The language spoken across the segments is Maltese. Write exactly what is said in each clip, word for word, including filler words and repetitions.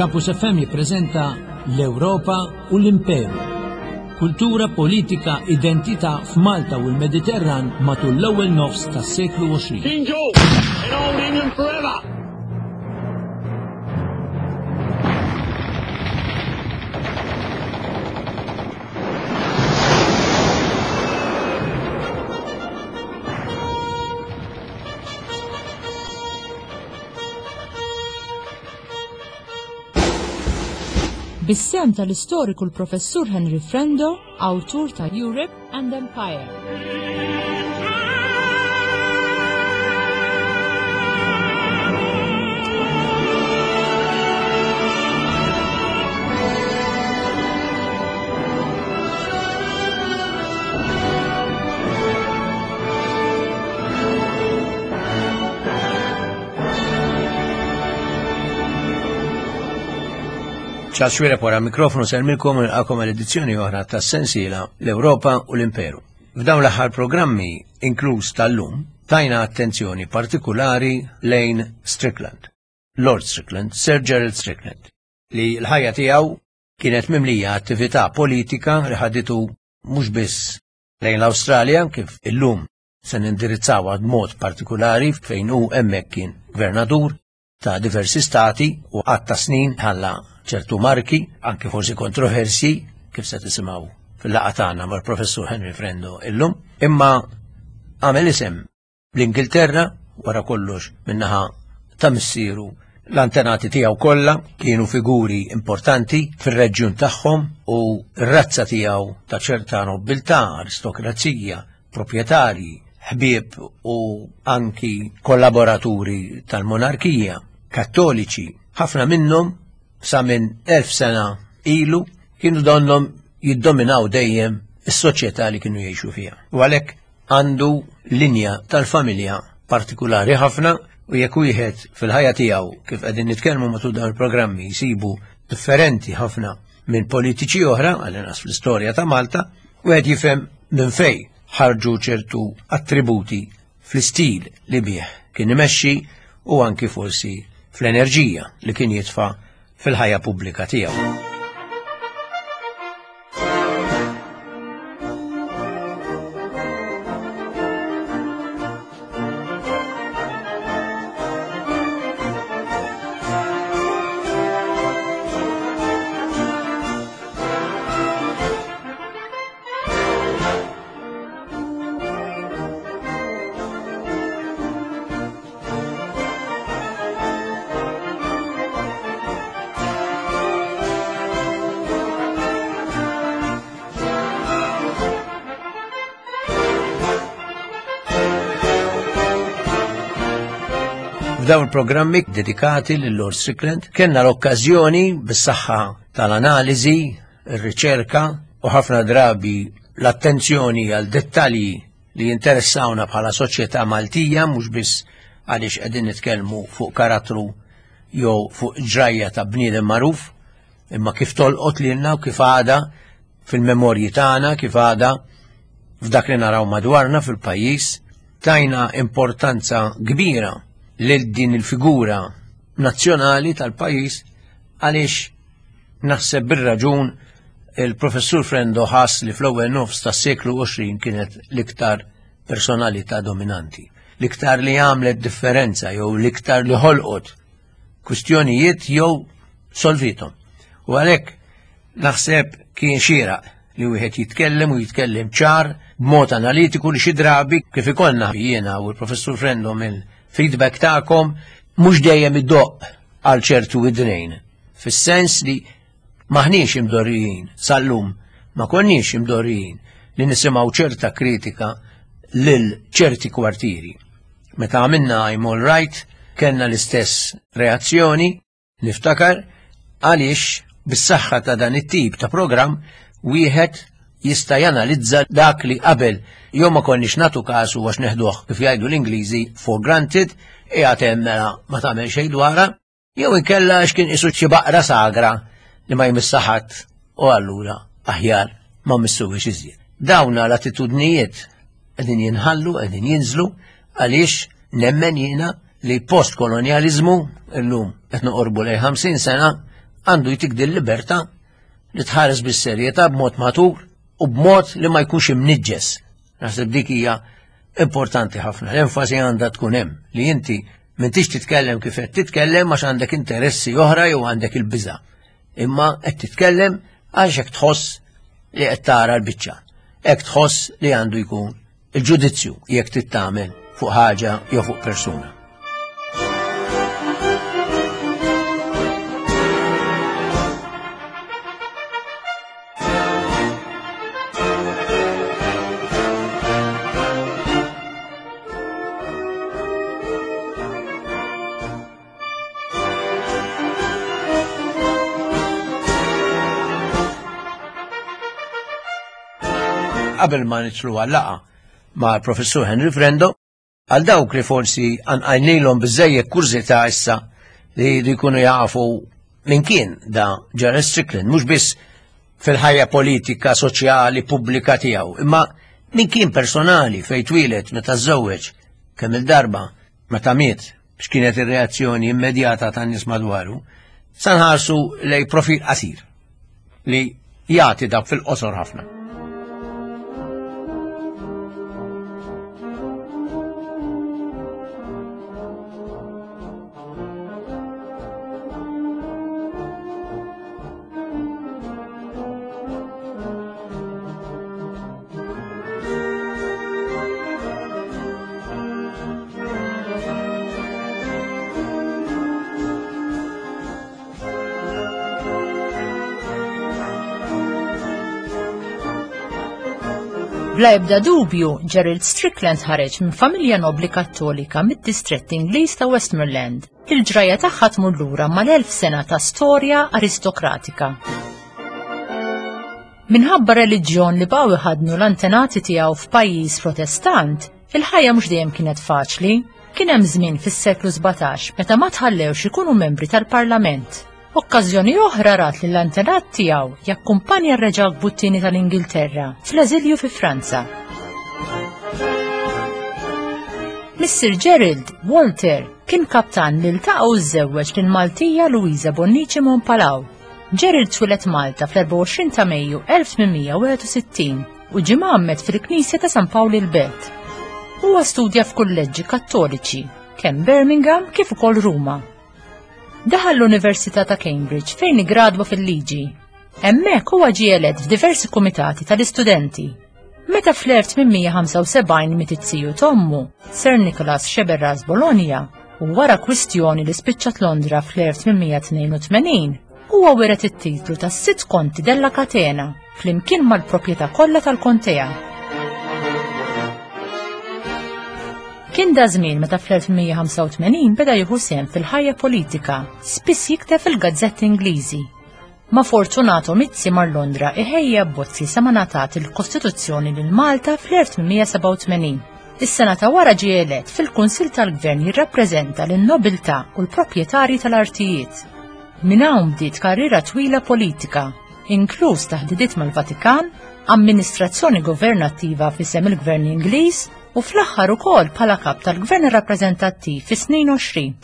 Campus F M jippreżenta l-Ewropa u l-Imperu. Kultura, politika, identità f'Malta u l-Mediterran matul l-ewwel nofs tas-seklu għoxrin. King George in Old England forever! Bis-sem tal-istoriku l-Professur Henry Frendo, awtur ta' Europe and Empire. Charles Xuereb wara mikrofonu selmilkom u nilqakom għal edizzjoni oħra tas-sensiela l-Ewropa u l-Imperu. F'dawn l-aħħar programmi, inkluż tal-lum, tajna attenzjoni partikulari lejn Strickland, Lord Strickland, Sir Gerald Strickland, li l-ħajja tiegħu kienet mimlija attività politika li ħaditu mhux biss lejn l-Awstralja, kif illum se nindirizzawha b'mod partikulari fejn hu hemmhekk kien gvernatur ta' diversi stati u għadd ta' snin ħalla ċertu marki, anke forsi kontroversi, kif se tisimgħu fil-laqgħa tagħna mal-Professur Henry Frendo illum, imma għamel isem l-Ingilterra wara kollox minnaħa ta' missieru. L-antenati tiegħu kollha kienu figuri importanti fir-reġjun tagħhom u r-razza tiegħu ta' ċerta nobiltà, aristokrazija, proprjetarji, ħbieb u anki kollaboraturi tal-monarkija, kattoliċi, ħafna minnhom sa minn elf sena ilu kienu donnhom jiddominaw dejjem is-soċjetà li kienu jgħixu fiha. U għalhekk għandu linja tal-familja partikulari ħafna u jekk wieħed fil-ħajja tiegħu kif qegħdin nitkellmu matul dawn il-programmi jsibu differenti ħafna minn politiċi oħra, għall-inqas fl-istorja ta' Malta, wieħed jifhem minn fejn ħarġu ċertu attributi fl-istil li bih kien imexxi u anki forsi fl-enerġija li kien jitfa' fil-ħajja pubblika tiegħu. F'dawn il-programmi dedikati lil Lord Strickland kellna l-okkażjoni bis-saħħa tal-analiżi, ir-riċerka u ħafna drabi l-attenzjoni għal dettalji li jinteressawna bħala soċjetà Maltija, mhux biss għaliex qegħdin nitkellmu fuq karattru jew fuq ġrajja ta' bniedem magħruf, imma kif tolqot lilna u kif għada fil-memorji tagħna, kif għada f'dak li naraw madwarna fil-pajjiż, tajna importanza kbira lil din il-figura nazzjonali tal-pajjiż għaliex naħseb bir-raġun il-Professur Frendo ħass li fl-ewwel nofs tas-seklu għoxrin kienet l-iktar personalità dominanti, l-iktar li għamlet differenza jew l-iktar li ħolqot kwistjonijiet jew solvitom. U għalhekk naħseb kien xieraq li wieħed jitkellem u jitkellem ċar b'mod analitiku li xi drabi kif ikollna jiena u l-Professur Frendo mill-feedback tagħkom mhux dejjem iddoqq għal ċertu widnejn, fis-sens li maħniex imdorrijin sal-lum, ma konniex imdorrijin li nisimgħu ċerta kritika lil ċerti kwartieri. Meta għamilna I'm All Right kellna l-istess reazzjoni, niftakar għaliex bis-saħħa ta' dan it-tip ta' programm wieħed jista' janalizza dak li qabel jew ma konniex nagħtu kasu għax neħduh kif jgħidu l-Ingliżi for granted, qiegħed hemm mela ma tagħmel xejn dwarha, jew inkella għax kien qisu xi baqra sagra li ma jmissha ħadd u allura aħjar ma missuwiex iżjed. Dawna l-attitudnijiet qegħdin jinħallu, qegħdin jinżlu għaliex nemmen jiena li post-kolonializmu illum qed noqorbu lejn ħamsin sena għandu jtik din libertà li tħares bis-serjetà b'mod matur u b'mod li ma jkunx imniġġes. Naħseb dik hija importanti ħafna. L-enfasi għandha tkun hemm li inti m'intix titkellem kif qed titkellem għax għandek interessi oħra jew għandek il-biża'. Imma qed titkellem għax hekk tħoss li qed tara l-biċċa. Hekk tħoss li għandu jkun il-ġudizzju jekk tittamel fuq ħaġa jew fuq persuna. Qabel ma nidħlu għal-laqgħa ma' professur Henry Frendo, għal dawk li forsi għanqajnilhom biżejjed kurżità issa li jkunu jafu min kien da Gerald Strickland, mhux biss fil-ħajja politika, soċjali, pubblika tiegħu, imma min kien personali fejn twieled, meta żżewweġ, kemm il-darba, meta miet, x'kienet ir-reazzjoni immedjata tan-nies madwaru, sa nħarsu lej profil qasir li jagħti dak fil-qosor ħafna. Bla ebda dubju, Gerald Strickland ħareġ minn familja nobli kattolika mid-distrett Ingliż ta' Westmoreland. Il-ġrajja tagħha tmur lura mal-elf sena ta' storja aristokratika. Minħabba reliġjon li baqgħu jħaddnu l-antenati tiegħu f'pajjiż protestant, il-ħajja mhux dejjem kienet faċli. Kien hemm żmien fis-seklu sbatax meta ma tħallewx ikunu membri tal-Parlament. Okkażjoni oħra rat li l-antenat tiegħu jakkumpanja r-Reġa Buttini tal-Ingilterra fl-eżilju fi Franza. Missier Gerald, Walter, kien kaptan li ltaqa' u żżewweġ lil Maltija Luisa Bonnici Montpalau. Gerald twieled Malta fl-erbgħa u għoxrin ta' Mejju elf tmien mija u wieħed u sittin u ġie mgħammed fil-Knisja ta' San Pawl il-Belt. Huwa studja f'kulleġġi Kattoliċi, kemm Birmingham kif ukoll Ruma. Daħal l-Università ta' Cambridge fejn iggradwa fil-liġi. Hemmhekk huwa ġie elett f'diversi kumitati tal-istudenti. Meta fl-elf tmien mija ħamsa u sebgħin miet it-tiju t'ommu, Sir Nicholas Sceberras Bologna, u wara kwistjoni li spiċċat Londra fl-elf tmien mija tnejn u tmenin, huwa wiret it-titlu ta' sitt konti della Catena flimkien mal-proprjetà kollha tal-kontea. Kien da żmien meta fl-elf tmien mija ħamsa u tmenin beda jieħu sehem fil-ħajja politika, spiss jikteb fil-gazzetti Ingliżi. Ma' Fortunato Mizzi mar Londra iħejja abbozzi sa ma ngħatat il-Kostituzzjoni lil Malta fl-elf tmien mija sebgħa u tmenin. Is-sena ta' wara ġie elett fil-Kunsill tal-Gvern jirrappreżenta lin-nobiltà u l-proprjetarji tal-artijiet. Minn hawn bdiet karriera twila politika, inkluż taħdidiet mal-Vatikan, amministrazzjoni governattiva f'isem il-Gvern Ingliż u fl-aħħar ukoll bħala kap tal-Gvern Rappreżentattiv fis-snin għoxrin.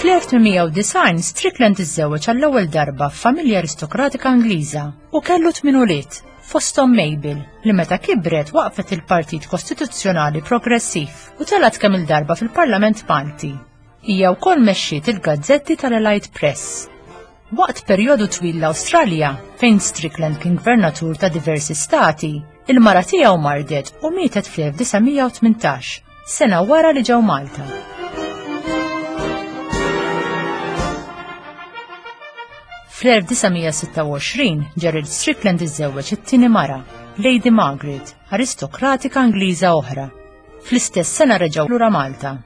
Fl-elf tmien mija u disgħin Strickland iżżewweġ għall-ewwel darba f'familja aristokratika Ingliża u kellu tmien ulied, fosthom Mabel, li meta kibret waqfet il-Partit Kostituzzjonali Progressiv u telgħet kemm il-darba fil-Parlament Malti. Hija wkoll mexxiet il-gazzetti tal-Allied Press. Waqt perjodu twil l-Awstralja, fejn Strickland kien gvernatur ta' diversi stati, il-mara tiegħu mardet u mietet fl-elf disa' mija u tmintax, sena wara li ġew Malta. Fl-elf disa' mija sitta u għoxrin, Gerald Strickland iżżewweġ it-tieni mara, Lady Margaret, aristokratika Ingliża oħra. Fl-istess sena reġgħu lura Malta.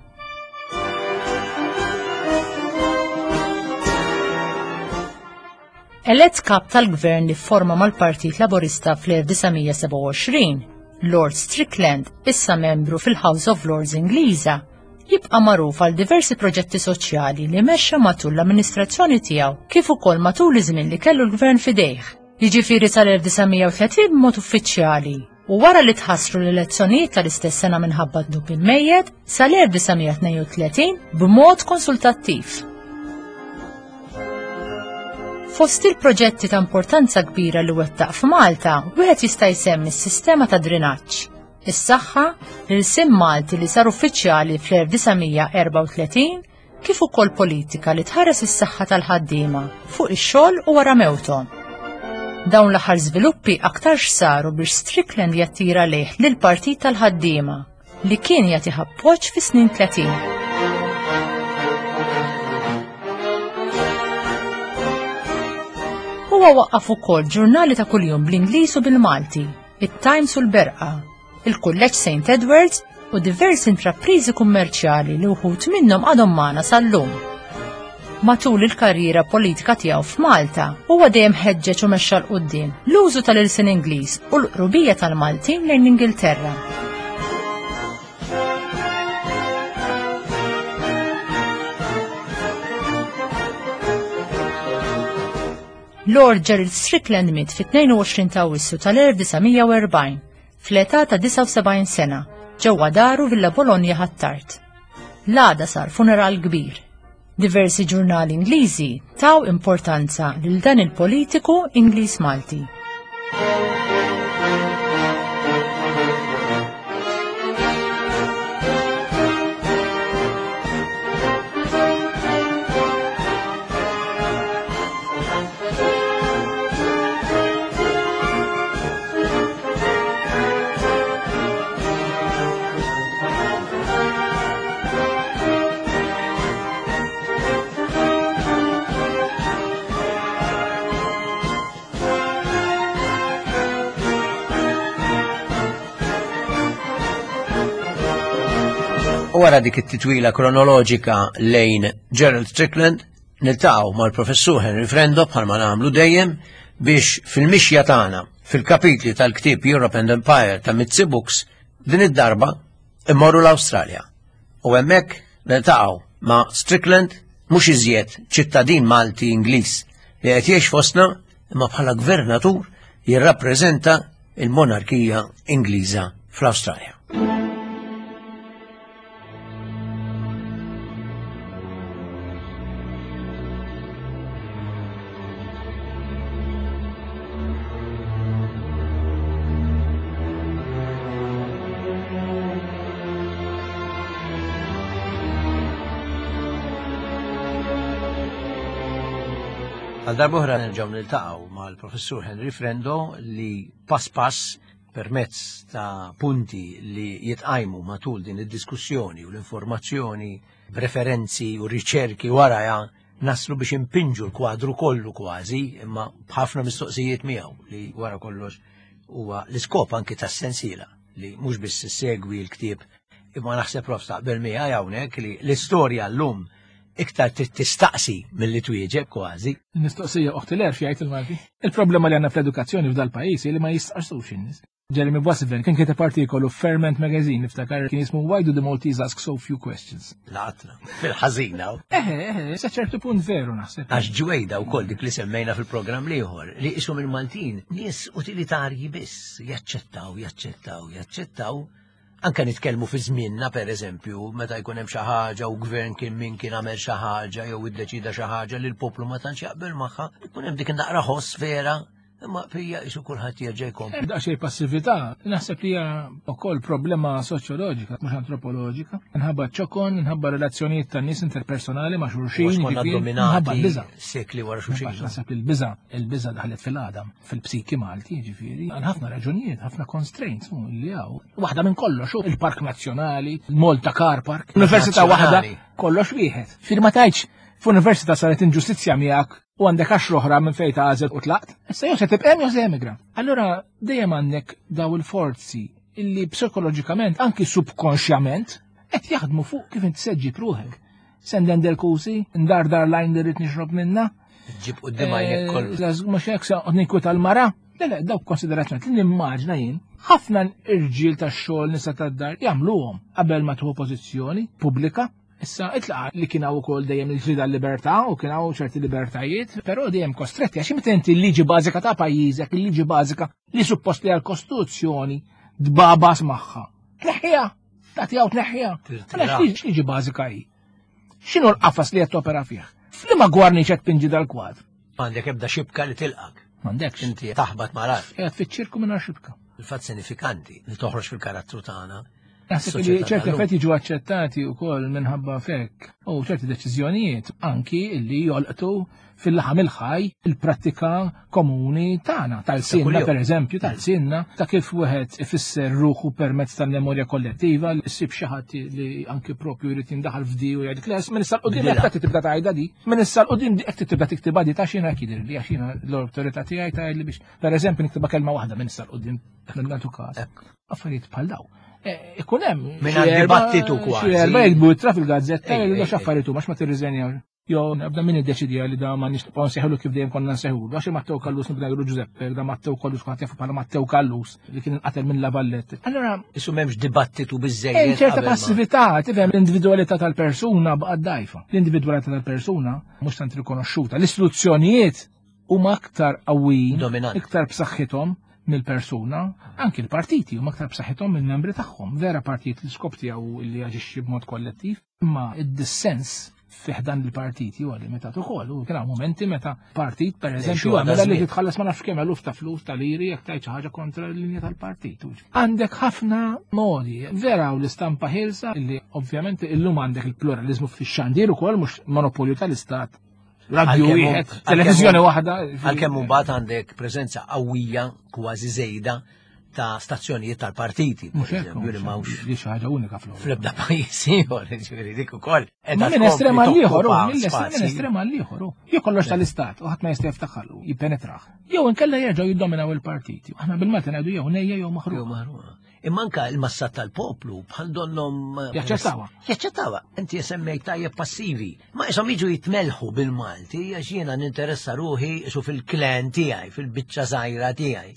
Elett kap tal-gvern li fforma mal-Partit Laburista fl-elf disa' mija sebgħa u għoxrin, Lord Strickland, issa membru fil-House of Lords Ingliża, jibqa' magħruf għal diversi proġetti soċjali li mexxa matul l-amministrazzjoni tiegħu kif ukoll matul iż-żmien li kellu l-gvern f'idejh, jiġifieri sal-elf disa' mija u tletin b'mod uffiċjali, u wara li tħassru l-elezzjonijiet tal-istess sena minħabba dnub il-mejjet sal-elf disa' mija tnejn u tletin b'mod konsultattiv. Fost il-proġetti ta' importanza kbira li wettaq f'Malta, wieħed jista' jsemmi s-sistema ta' drenaġġ, is-saħħa, l-ilsien Malti li sar uffiċjali fl-elf disa' mija erbgħa u tletin, kif ukoll politika li tħares is-saħħa tal-ħaddiema fuq ix-xogħol u wara mewthom. Dawn l-aħħar żviluppi aktarx saru biex Strickland jattira lejh lill-Partit tal-Ħaddiema li kien jagħtih appoġġ fis-snin tletin. Huwa waqqaf ukoll ġurnali ta' kuljum bl-Ingliż u bil-Malti, it-Times u l-Berqa, il-Kulleġġ Saint Edwards u diversi intrapriżi kummerċjali li wħud minnhom għadhom magħna sal-lum. Matul il-karriera politika tiegħu f'Malta, huwa dejjem ħeġġeġ u mexxa 'l quddiem l-użu tal-ilsien Ingliż u l-qrubija tal-Maltin lejn l-Ingilterra. Lord Gerald Strickland miet fit-tnejn u għoxrin ta' Awwissu tal-elf disa' mija u erbgħin, fl-età ta' disgħa u sebgħin sena, ġewwa daru Villa Bologna Ħ'Attard. L-għada sar funeral kbir. Diversi ġurnali Ingliżi taw importanza lil dan il-politiku Ingliż Malti. U wara dik it-titwila kronoloġika lejn Gerald Strickland, niltaqgħu mal-professur Henry Frendo bħalma nagħmlu dejjem biex fil-mixja tagħna fil-kapitli tal-ktieb Europe and Empire ta' Mizzi Books din id-darba immorru l-Awstralja. U hemmhekk niltaqgħu ma' Strickland mhux iżjed ċittadin Malti Ingliż li qed jgħix fostna imma bħala gvernatur jirrappreżenta il-monarkija Ingliża fl-Awstralja. Għal darb'oħra nerġgħu niltaqgħu mal-professur Henry Frendo li pass pass permezz ta' punti li jitqajmu matul din id-diskussjoni u l-informazzjoni, preferenzi u riċerki warajha naslu biex impinġu l-kwadru kollu kważi, imma b'ħafna mistoqsijiet miegħu li wara kollox huwa l-iskop anki tas-sensiela li mhux biss issegwi l-ktieb imma naħseb prof taqbel miegħi hawnhekk li l-istorja llum iktar trid tistaqsi milli twieġeb kważi. Mistoqsija oħti l-erf jgħid il-Malti. Il-problema li għandna fl-edukazzjoni f'dal pajjiż hi li ma jistaqsux in-nies. Jeremy Boissevain kien kiteb artikolu f'Ferment Magazine, niftakar kien jismu Why do the Maltese ask so few questions? Laqatna, fil-ħażina. Eħe, eħe, sa ċertu punt veru naħseb. Għax ġwejda wkoll dik li semmejna fil-programm l-ieħor li ishom il-Maltin nies utilitarji biss, jaċċettaw, jaċċettaw, jaċċettaw. Anka nitkellmu fi żmienna, per eżempju, meta jkun hemm xi ħaġa u gvern kien min kien għamel xi ħaġa jew iddeċida xi ħaġa li l-poplu ma tantx jaqbel magħha, ikun hemm dik naqra ħoss vera, imma fija qisu kulħadd jerġa' jkompli. Hemm daqsxejn passività, naħseb li hija wkoll problema soċjoloġika, mhux antropoloġika. Minħabba ċokon, minħabba relazzjonijiet tan-nies interpersonali ma' xulxin, Għax konna jiġifieri, dominati minħabba l-biża'. sekli wara xulxin. Minħabba naħseb li l-biża', il-biża' daħlet fil-għadam, fil-psiki Malti, jiġifieri, għal ħafna raġunijiet, ħafna constraints mu li hawn. Waħda minn kollox, il-Park Nazzjonali, il-Malta Car Park, Università waħda, Nazzjonali. kollox wieħed. Fir ma tgħidx f'università saret inġustizzja miegħek u għandek għaxra oħra minn fejn tagħżel u tlaqt, issa jew se tibqa' hemm jew se emigra. Allura dejjem għandek daw il-forzi illi psikoloġikament, anki subkonxjament, qed jaħdmu fuq kif inti se ġġib ruħek. Senden del kusi, ndar dar lajn li rrid nixrob minna. Ġib quddiem għajnek Eh, kollu. Mhux hekk se noqgħod ninkwita l-mara. Le, le, dawk konsiderazzjoni li nimmaġna jien Ħafna irġiel tax-xogħol nisa tad-dar jagħmluhom qabel ma tieħu pożizzjoni pubblika. Issa itlaqa li kien hawn ukoll dejjem il-ġlieda libertà u kien hawn ċerti libertajiet, però dejjem kostretti għax meta inti l-liġi bażika ta' pajjiżek, il-liġi bażika li suppost li għall-Kostituzzjoni dbabas magħha. Tneħħiha, tagħtiha u tneħħiha. Għalhekk liġi bażika hi. X'inhu l-qafas li qed topera fih? F'liema gwarniċ qed tpinġi dal-kwadru? M'għandek ebda xibka li tilqak. M'għandekx. Inti taħbat mal-art. Qiegħed fiċ-ċirku mingħajr xibka. Il-fatt sinifikanti li toħroġ fil-karattru tagħna. Naħseb li ċerti affarijiet jiġu aċċettati wkoll minħabba fekk u ċerti deċiżjonijiet anki li jolqtu fil-laħam il-ħaj il-prattika komuni tagħna, tal-sinna pereżempju, tal-sinna, ta' kif wieħed ifisser ruħu permezz tal-memorja kollettiva, issib xi ħadd li anki propju jrid jindaħal f'di u jgħidlek les, minn issa l-qudiem hekk tibda tgħidha di, minn issa l-qudiem hekk tibda tiktibha di ta' xina hekk jidhirli għax jiena l-awtorità tiegħi tgħidli biex pereżempju niktibha kelma waħda minn issa l-qudiem nagħtu każ. Affarijiet bħal daw. Ikun hemm mingħajr dibattitu kważi. Xi erba' jikbu ittra fil-gazzetta jgħidu x'affarijiet huma ma tirriżenjaw. Jo, nabda min iddeċidija li da ma nix nibqgħu nsejħulu kif dejjem konna nsejħulu. Għax Matteo Callus nibda ngħidu Giuseppe, da Matteo Callus kulħadd jafu bħala Matteo Callus li kien inqatel minn La Vallette. Allura isu m'hemmx dibattitu biżejjed. Hemm ċerta passività, tifhem l-individwalità tal-persuna baqgħet dgħajfa. L-individwalità tal-persuna mhux tant rikonoxxuta. L-istituzzjonijiet huma aktar qawwijin, iktar b'saħħithom mill-persuna, anki l-partiti huma aktar b'saħħithom mill-membri tagħhom. Vera partit l-iskop tiegħu li jaġixxi b'mod kollettiv, imma id-dissens fi ħdan il-partiti huwa limitat ukoll. U kien hawn momenti meta partit pereżempju għamela li titħallas ma nafx kemm eluf ta' flus ta' liri jekk tgħid xi ħaġa kontra l-linja tal-partit. Għandek ħafna modi. Vera u l-istampa ħielsa li ovvjament illum għandek il-pluralizmu fix-xandir ukoll mhux monopolju tal-istat. Radio wieħed, televiżjoni waħda. Għalkemm imbagħad għandek preżenza qawwija kważi żejda ta' stazzjonijiet tal-partiti. Mhux hekk, li m'hawnx li xi ħaġa unika fl-Ewropa. Fl-ebda pajjiż ieħor, jiġifieri dik ukoll. Minn estrem għal ieħor, minn estrem għal ieħor. Jew kollox tal-istat u ħadd ma jista' jiftaħħal jippenetrah. Jew inkella jerġgħu jiddominaw il-partiti. Aħna bil-Malti ngħidu jew nejja jew maħruqa. Jew maħruqa. Imma anke l-massa tal-poplu bħal donhom jaċċettawha. Jaċċettawha. Inti semmejt tajjeb passivi. Ma ishom jiġu jitmelħu bil-Malti għax jiena ninteressa ruħi isu fil-klan tiegħi, fil-biċċa żgħira tiegħi.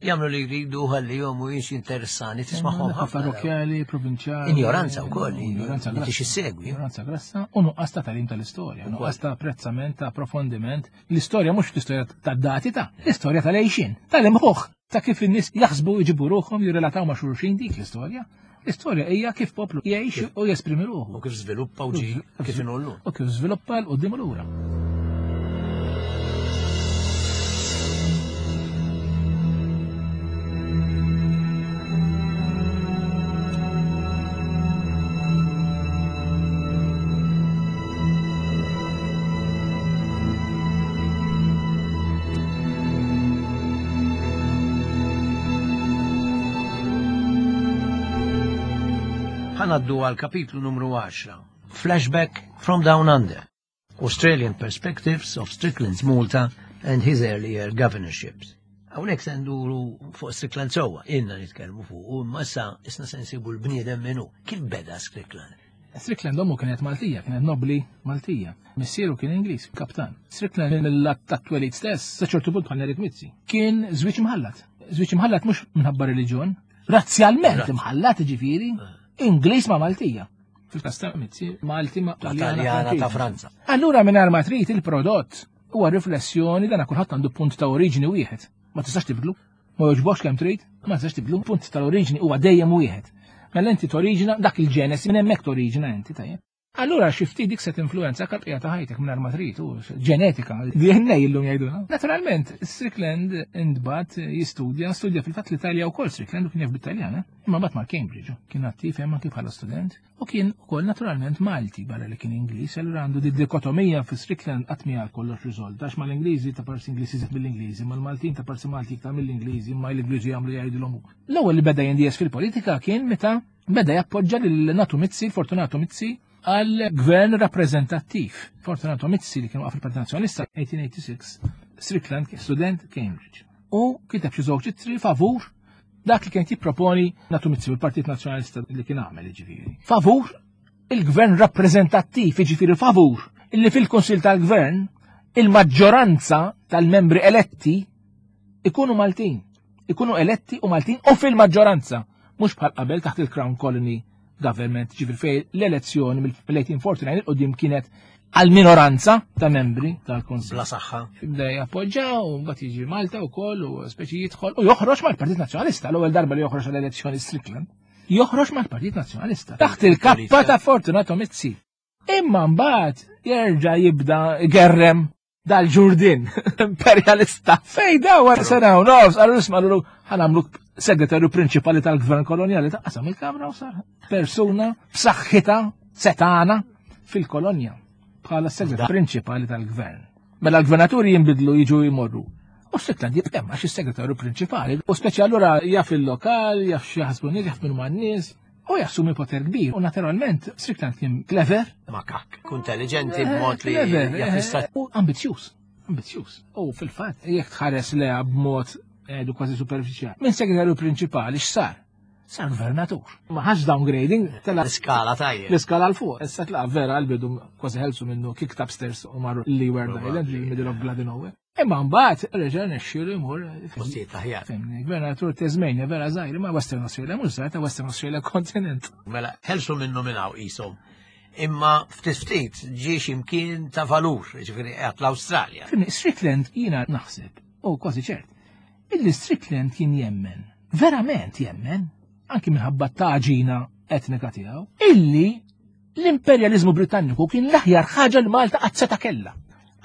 Jagħmlu li jridu ħalli jom u jiex interessani tismagħhom ħafna. Parrokjali, provinċjali. Ignoranza wkoll, ignoranza grassa. Issegwi. Ignoranza grassa u nuqqas ta' tagħlim tal-istorja, nuqqas ta' apprezzament, ta' approfondiment. L-istorja mhux l-istorja tad-dati ta' l-istorja tal-għejxin, tal-imħuħ, ta' kif in-nies jaħsbu jġibu ruħhom jirrelataw ma' xulxin dik l-istorja. L-istorja hija kif poplu jgħix u jesprimi ruħu. U kif żviluppa u ġi kif inhu. U kif żviluppa l quddiem lura. Għaddu għal kapitlu numru għaxra. Flashback from Down Under. Australian Perspectives of Strickland's Malta and his earlier governorships. Hawnhekk se nduru fuq Strickland sewwa, ilna nitkellmu fuq, u imma issa isna se nsibu l-bniedem minnu. Kif beda Strickland? Strickland ommu kienet Maltija, kienet nobli Maltija. Missieru kien Ingliż, kaptan. Strickland mill-lat tat-twelid stess, sa ċertu punt bħal Nerik Mizzi, kien żwieġ imħallat. Żwieġ imħallat mhux minħabba reliġjon, razzjalment imħallat ġifieri. Ingliż ma' Maltija. Fil-każ ta' Mizzi, Malti ma' Taljana ta' Franza. Allura mingħajr ma trid il-prodott huwa riflessjoni dan kulħadd għandu punt ta' oriġini wieħed. Ma tistax tibdlu. Ma jogħġbokx kemm trid, ma tistax tibdlu. Punt tal-oriġini huwa dejjem wieħed. Mela inti toriġina dak il-ġenesi minn hemmhekk toriġina inti tajjeb. Allura xi ftit dik se tinfluwenza bqija ta' ħajtek mingħajr ma trid, ġenetika, D N A illum jgħidulha. Naturalment, Strickland intbagħat jistudja, studja fil-fatt l-Italja wkoll Strickland u kien jaf bit-Taljan, imma mbagħad mar Cambridge, kien attiv hemm anki bħala student u kien ukoll naturalment Malti barra li kien Ingliż, allura għandu di dikotomija fi Strickland qatt mija kollox riżolta għax mal-Ingliżi ta' parsi Ingliżi iżjed mill-Ingliżi, mal-Maltin ta' parsi Malti iktar mill-Ingliżi, imma l-Ingliżi jagħmlu jgħidulhom hu. L-ewwel li beda jindies fil-politika kien meta beda jappoġġa lil Natu Mizzi, Fortunato Mizzi, għal gvern rappreżentattiv. Fortunato Mizzi li kien waqaf il-Partit Nazzjonalista eighteen eighty-six, Strickland kien student Cambridge. U kiteb xi żewġ ittri favur dak li kien jipproponi Natu Mizzi u l-Partit Nazzjonalista li kien għamel jiġifieri. Favur il-gvern rappreżentattiv, jiġifieri favur illi fil-Kunsill tal-Gvern il-maġġoranza tal-membri eletti ikunu Maltin. Ikunu eletti u Maltin u fil-maġġoranza, mhux bħal qabel taħt il-Crown Colony Government, ġifieri fejn l-elezzjoni mill-eighteen forty-nine 'il quddiem kienet għal minoranza ta' membri tal-Konsil. Bla saħħa. Bda jappoġġa u mbagħad jiġi Malta wkoll u speċi jidħol u joħroġ mal-Partit Nazzjonalista. L-ewwel darba li joħroġ għall-elezzjoni Strickland. Joħroġ mal-Partit Nazzjonalista. Taħt il-kappa ta' Fortunato Mizzi. Imma mbagħad jerġa' jibda gerrem dal-ġurdin imperialista. Fej da wara sena u nofs, għallu isma', għallu ħa nagħmluk segretarju prinċipali tal-gvern koloniali. Ta' qasam il-kamra u sar persuna b'saħħitha setana fil-kolonja bħala segretarju prinċipali tal-gvern. Mela l-gvernaturi jinbidlu, jiġu jmorru. U Strickland jibqa' għax is-segretarju prinċipali. U speċi allura jaf il-lokal, jaf x'jaħsbu nies, jaf min man-nies, u jassumi poter kbir. U naturalment Strickland kien clever. Makak. Intelligenti b'mod li clever, jaf eh, jista' u ambizzjuż. Ambizzjuż. U fil-fatt, jekk tħares leha b'mod edu kważi superfiċjali. Minn segretarju prinċipali x'sar? Sar gvernatur. Ma ħax downgrading, tela L-iskala tajjeb. l-iskala 'l fuq. Issa tlaqa vera għal-bidu kważi ħelsu minnu, kicked upstairs u marru Leeward Island, li middle of bloody nowhere. Imma mbagħad reġa' nexxielu jmur Postijiet aħjar. Fimni, gvernatur Tasmania vera żgħir, ma Western Australia mhux żgħir, ta' Western Australia kontinent. Mela, ħelsu minnu minn hawn qishom. Imma ftit ftit ġie x'imkien ta' valur, ġifieri qiegħed l-Awstralja. Fimni, Strickland jiena naħseb, u kważi ċert, illi Strickland kien jemmen, verament jemmen, anki minħabba taġina etnika tiegħu, illi l-imperjalizmu Britanniku kien l-aħjar ħaġa li Malta qatt seta' kellha.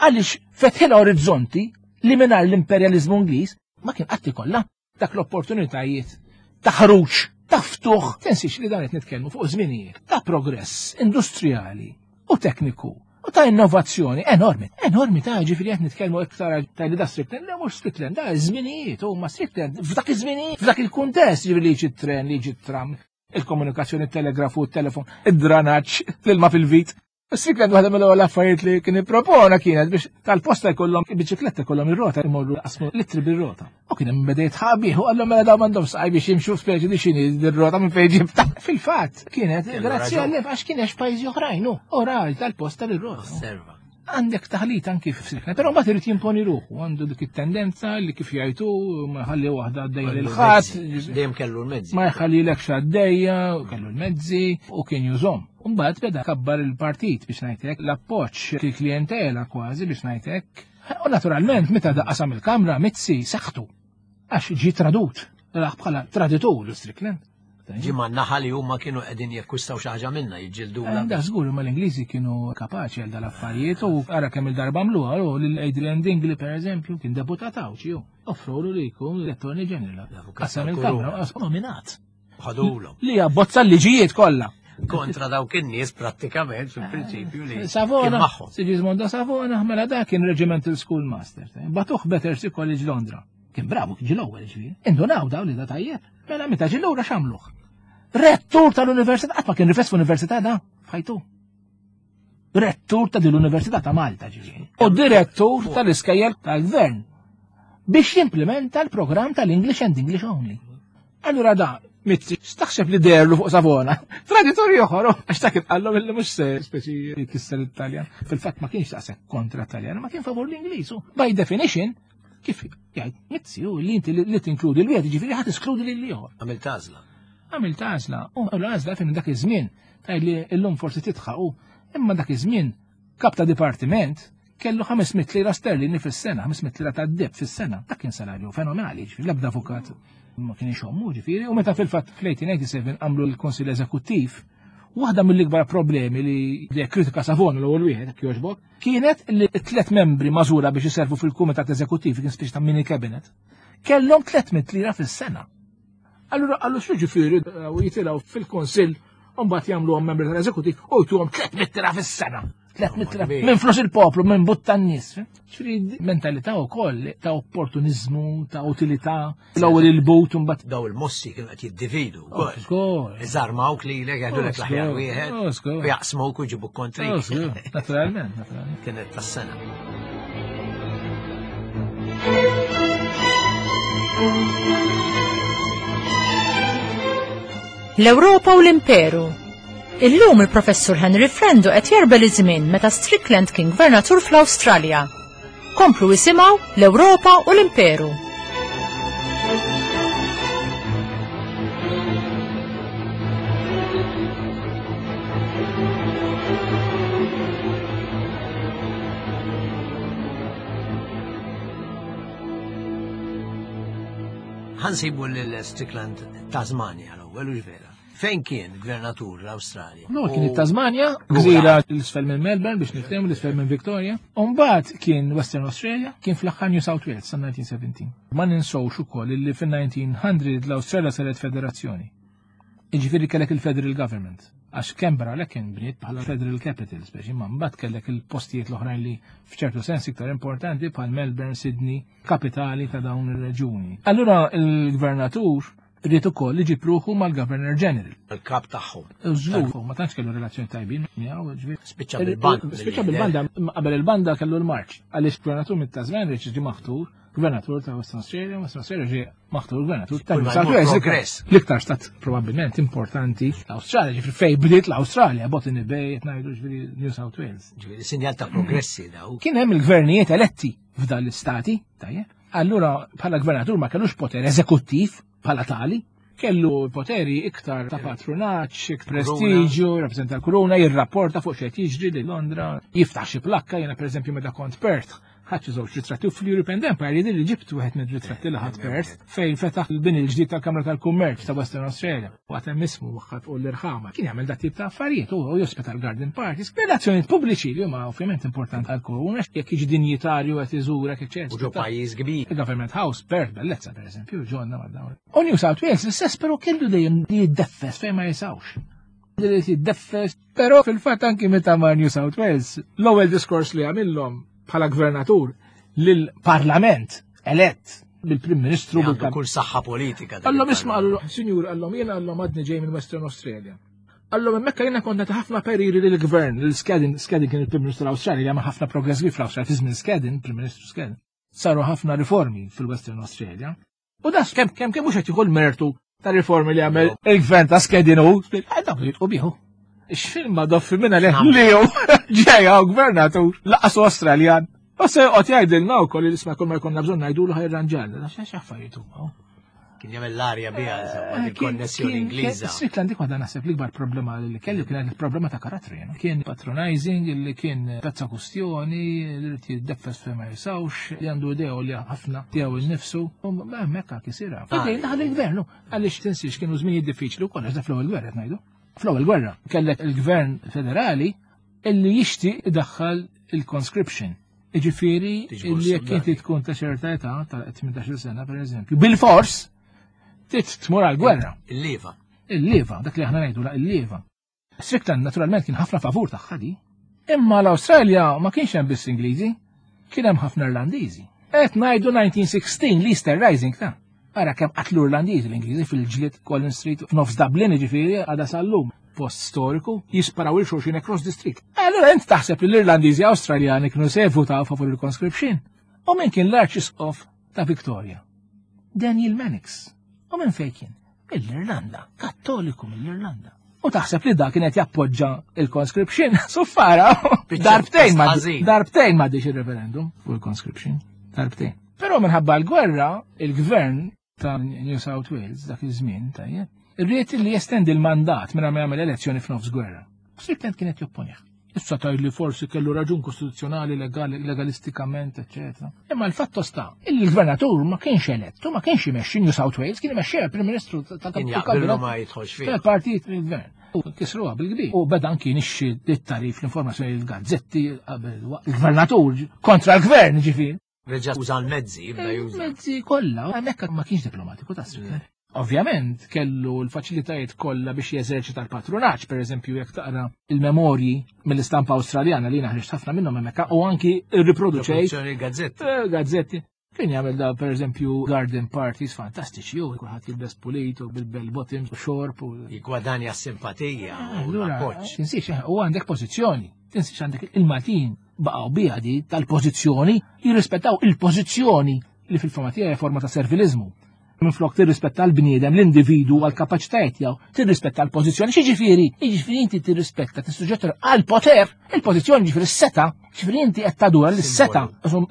Għaliex fetħilha orizzonti li mingħajr l-imperjalizmu Ingliż ma kien qatt ikollha dak l-opportunitajiet ta' ħruġ, ta' ftuħ. Tinsiex li dan qed nitkellmu fuq żminijiet ta' progress industrijali u tekniku u ta' innovazzjoni enormi, enormi ta' ġifieri qed nitkellmu iktar ta' li da Strickland, le mhux Strickland, da żminijiet, huma Strickland f'dak iż-żminijiet, f'dak il-kuntest, ġifieri li jiġi tren, li jiġi tram, il-komunikazzjoni, il-telegrafu, il-telefon, id-dranaġġ, l-ilma fil-vit. Strickland waħda mill-ewwel affarijiet li kien ippropona kienet biex tal-posta jkollhom biċikletta, jkollhom ir-rota, imorru qasmu litri bir-rota. U kien hemm beda jitħabih u qallhom mela dawn m'għandhom saqaj biex jimxu, speċi di x'inhi dir-rota, minn fejn ġibta. Fil-fatt kienet Kellu grazzi raġun. għal għax kien għax pajjiżi oħrajn hu. U raġ tal-posta lir-rota. Osserva. Għandek taħlit anki f'Strickland, però mbagħad irid jimponi ruħu, għandu dik it-tendenza li kif jgħidu ma ħalli waħda għaddejja lil ħadd, Dejjem kellu l-mezzi. ma jħallilekx għaddejja, u kellu l-mezzi u kien jużhom. Mbagħad beda kabbar il-partit biex ngħidlek, l-appoġġ il-klientela kważi biex ngħidlek. U naturalment meta daqqasam il-kamra Mizzi saħtu għax ġi tradut, raħ bħala traditur Strickland. Ġi ma naħa li huma kienu qegħdin jekkwistaw xi ħaġa minna jiġġildula. Da żgur, ma l-Ingliżi kienu kapaċi għal dal-affarijiet u ara kemm il-darba għamluha u lil Adrian Dingli, per eżempju, kien deputat Għawdxi, hu. Offrulu li jkun l-Attorney General. L-avukat Qasam tal-Kuruna. il-kamra, qasam nominat. Ħadulhom. Li abbozza l-liġijiet kollha. Kontra dawk in-nies prattikament fil-prinċipju li kien Savona, magħhom. Sigismondo Savona, mela da kien Regimental Schoolmaster. Bagħtuh Battersea College Londra. Kien bravu, kien ġie l-ewwel ġifieri. Indunaw daw li da tajjeb. Mela meta ġie lura x'għamluh? Rettur tal-università, qatt ma kien rifes f'università da, f'ħajtu. Rettur ta' din l-Università ta' Malta ġifieri. U direttur tal-iskejjel tal-gvern biex jimplementa l-programm tal-English and English only. Allura da, Mizzi, x'taħseb li derlu fuq Savona? Traditori oħor, għax ta' kif qallhom illi mhux se speċi jkisser it-Taljan. Fil-fatt ma kienx daqshekk kontra Taljan, ma kien favur l-Ingliż. u By definition, kif jgħid Mizzi, u li inti li tinkludi l-wieħed, ġifieri ħadd eskludi lil ieħor. Għamilt għażla. Għamilt għażla, u l-għażla fin dak iż-żmien, tgħid li llum forsi titħaq, imma dak iż-żmien kap ta' dipartiment kellu ħames mitt lira sterlini fis-sena, ħames mitt lira ta' deb fis-sena. Dak kien salarju fenomenali, ġifieri l-ebda avukat ma kien ixommu, ġifieri, u meta fil-fatt fl-eighteen eighty-seven għamlu l-Konsil Eżekuttiv, waħda mill-ikbar problemi li li kritika Savona l-ewwel wieħed jekk jogħġbok, kienet li t-tlet membri magħżula biex iservu fil-Kumitat Eżekuttiv, kien speċi ta' mini cabinet, kellhom tliet mitt lira fis-sena. Allura għallu xu ġifieri u jitilgħu fil-Konsill u mbagħad jagħmluhom membri tal-eżekutiv u jtuhom tliet mitt lira fis-sena. tliet mitt lira minn flus il-poplu, minn but tan-nies. Ġifieri mentalità wkoll ta' opportunizmu, ta' utilità, l-ewwel il-but u mbagħad Daw il-mossi kienu qed jiddividu wkoll. Żgur. Iżarmawk lilek, jgħidulek Oh, l-aħjar żgur. wieħed, Oh, żgur. u jaqsmuk u jġibuk kontrik. Oh, żgur. Naturalment, naturalment. Kienet tas-sena. L-Ewropa u l-Imperu. Illum il-professur Henry Frendo qed jerbel iż-żmien meta Strickland kien gvernatur fl-Awstralja. Komplu isimgħu L-Ewropa u l-Imperu. Ħa nsibu lil Strickland Tasmania l-ewwel u vera. Fejn kien gvernatur l-Awstralja? No, kien it-Tasmania, gżira 'l isfel minn Melbourne biex niftehmu 'l isfel minn Victoria. Umbagħad kien Western Australia, kien fl-aħħar New South Wales sa elf disa' mija u sbatax. Ma ninsewx ukoll li fin-elf disa' mija l-Awstralja saret federazzjoni. Iġifieri kellek il-Federal Government. Għax Canberra lek kien bniet bħala Federal Capital, speċi ma mbagħad kellek il-postijiet l-oħrajn li f'ċertu sens iktar importanti bħal Melbourne, Sydney, kapitali ta' dawn ir-reġuni. Allura il-gvernatur ried ukoll iġib ruħu mal-Governor General. Il-kap tagħhom. Żgur, ma tantx kellu relazzjoni tajbin miegħu, ġifieri. Spiċċa bil-banda. Spiċċa bil-banda, qabel il-banda kellu l-marċ. Għaliex gvernatur mit-Tasmania ġie maħtur gvernatur ta' Western Australia, Western Australia ġie maħtur gvernatur ta' Kull New ma South jmur Wales. progress. L-iktar stat probabbilment importanti l-Australia, ġifieri fej bdiet l-Australia, Botany Bay, qed ngħidu ġifieri New South Wales. Ġifieri sinjal ta' progressi daw. Kien hemm il-gvernijiet eletti f'dan l-istati, tajjeb. Allura bħala gvernatur ma kellux poter eżekuttiv bħala tali, kellu poteri iktar ta' patronaġġ, iktar prestiġju, rappresenta l-kuruna, jirrapporta fuq xejn jiġri li Londra, jiftaħ xi plakka, jiena pereżempju meta kont Perth, ħadt xi żewġ ritratti u fl-European Empire jidher li ġibt wieħed minn ritratti li ħadt Perth fejn fetaħ il-bini l-ġdid tal-Kamra tal-Kummerċ ta' Western Australia. U għad hemm ismu waħħal fuq l-irħama. Kien jagħmel dat tip ta' affarijiet u jospita l-garden parties. Relazzjonijiet pubbliċi li huma ovvjament importanti għal-kuruna, jekk jiġi dinjitarju qed iżurek, eċċetera. U ġo pajjiż kbir. Il-Government House, Perth, bellezza per eżempju, ġonna ma dawn. U New South Wales l-istess, però kellu dejjem jiddeffes fejn ma jisawx. Li jiddeffes, però fil-fatt anki meta mar New South Wales, l-ewwel diskors li għamillhom bħala gvernatur lill-Parlament elett bil-Prim Ministru Għandu bil kull saħħa politika. Dak Għallhom isma' il-parlament. għallhom, sinjur, għallhom jiena għallhom għadni ġej minn Western Australia. Għallhom hemmhekk jiena kont nagħti ħafna pariri lill-gvern, lil Skeddon, Skeddon kien il-Prim Ministru l-Awstralja li għamel ħafna progress kbir fl-Awstralja fi żmien Skeddon, Prim Ministru Skeddon. Saru ħafna riformi fil-Western Australia. U das kemm kemm kemm mhux qed jieħu l-mertu ta' riformi li għamel il-gvern ta' Skeddon u dak li jitqu bieħu. X'film ma doffi minna li li hu ġejja u gvernatur laqas Australjan. U se joqgħod jgħidilna wkoll li isma' kull ma jkollna bżonn ngħidulu ħa jirranġalna. X'affarijiet huma. Kien jagħmel l-arja biha, insomma, Eh, il-konnessjoni Ingliża. Strickland dik waħda naħseb l-ikbar problema li kellu kienet il-problema ta' karattru jena. Kien patronizing, li kien pezza kustjoni, li rrid jiddeffes fejn ma jisawx, li għandu idea li ħafna tiegħu innifsu, u ma hemmhekk kisira. Fidejn daħal il-gvern, għaliex tinsiex kienu żminijiet diffiċli wkoll għax da fl-ewwel gwerra qed ngħidu. Fl-ewwel gwerra kellek il-gvern federali illi jixtieq idaħħal il-conscription. Iġifieri Tiġbor illi jekk inti soldati. tkun ta' ċerta età ta' tmintax-il sena pereżempju, bil-fors trid tmur għal-gwerra. Il-liva. Il-liva, dak li aħna ngħidu la il-liva. Strickland naturalment kien ħafna favur tagħha di. Imma l-Awstralja ma kienx hemm biss Ingliżi, kien hemm ħafna Irlandiżi. Qed ngħidu elf disa' mija u sittax l-Easter Rising ta' Ara kemm qatlu Irlandiżi l-Ingliżi fil-ġlied Collins Street f'nofs Dublin, ġifieri għada sal-lum post storiku, jisparaw lil xulxin across the street. Allora int taħseb li l-Irlandiżi Awstraljani kienu se jivvutaw favur il-conscription. U min kien l-Arċisqof ta' Victoria? Daniel Mannix. U minn fejn kien? Mill-Irlanda, Kattoliku mill-Irlanda. U taħseb li da kienet jappoġġa il-conscription? Suffara, darbtejn ma ħażin. darbtejn ma il-referendum fuq il-conscription, darbtejn. Però minħabba l-gwerra, il-gvern ta' New South Wales dak iż-żmien, tajjeb, irrid li jestendi l-mandat minn ma jagħmel elezzjoni f'nofs gwerra. Strickland kienet jopponih. Issa taj li forsi kellu raġun kostituzzjonali, legali, legalistikament, eccetera. Imma l-fatto sta, il-gvernatur ma kienx elettu, ma kienx imexxi New South Wales, kien imexxi il-Prim Ministru Kien jaqbillu ma jidħolx fih. tal-partit il-gvern. U kisruha bil-kbir. U beda anki nixxi it-tarif l-informazzjoni l-gazzetti qabel waqt il-gvernatur kontra l-gvern ġifieri. Reġa' uża l-mezzi, jibda juża. Mezzi kollha, hemmhekk ma kienx diplomatiku ta' Strickland. Ovvjament kellu l-faċilitajiet kollha biex jeżerċita l-patronaġġ, per eżempju jekk taqra il-memorji mill-istampa Awstraljana li naħriġ ħafna minnhom hemmhekk u anki rriproduċejt Produzzjoni gazzetti. eh, gazzetti. Kien jagħmel da per eżempju garden parties fantastiċi, u kulħadd jilbes pulit u bil-bell bottoms u xorb u Jigwadanja s-simpatija u Allura, l-appoġġ. tinsiex, eh, u għandek pożizzjoni. Tinsiex għandek il-Maltin baqgħu biha di tal-pożizzjoni, jirrispettaw il-pożizzjoni li fil-fehma tiegħi hija forma ta' servilizmu. Minflok tirrispetta l-bniedem, l-individu għal-kapaċitajiet tiegħu, tirrispetta l-pożizzjoni. X'jiġifieri? Jiġifieri inti tirrispetta, tissuġġetta għal-poter, il-pożizzjoni ġifieri s-seta Ġifieri inti qed tadura lis-seta,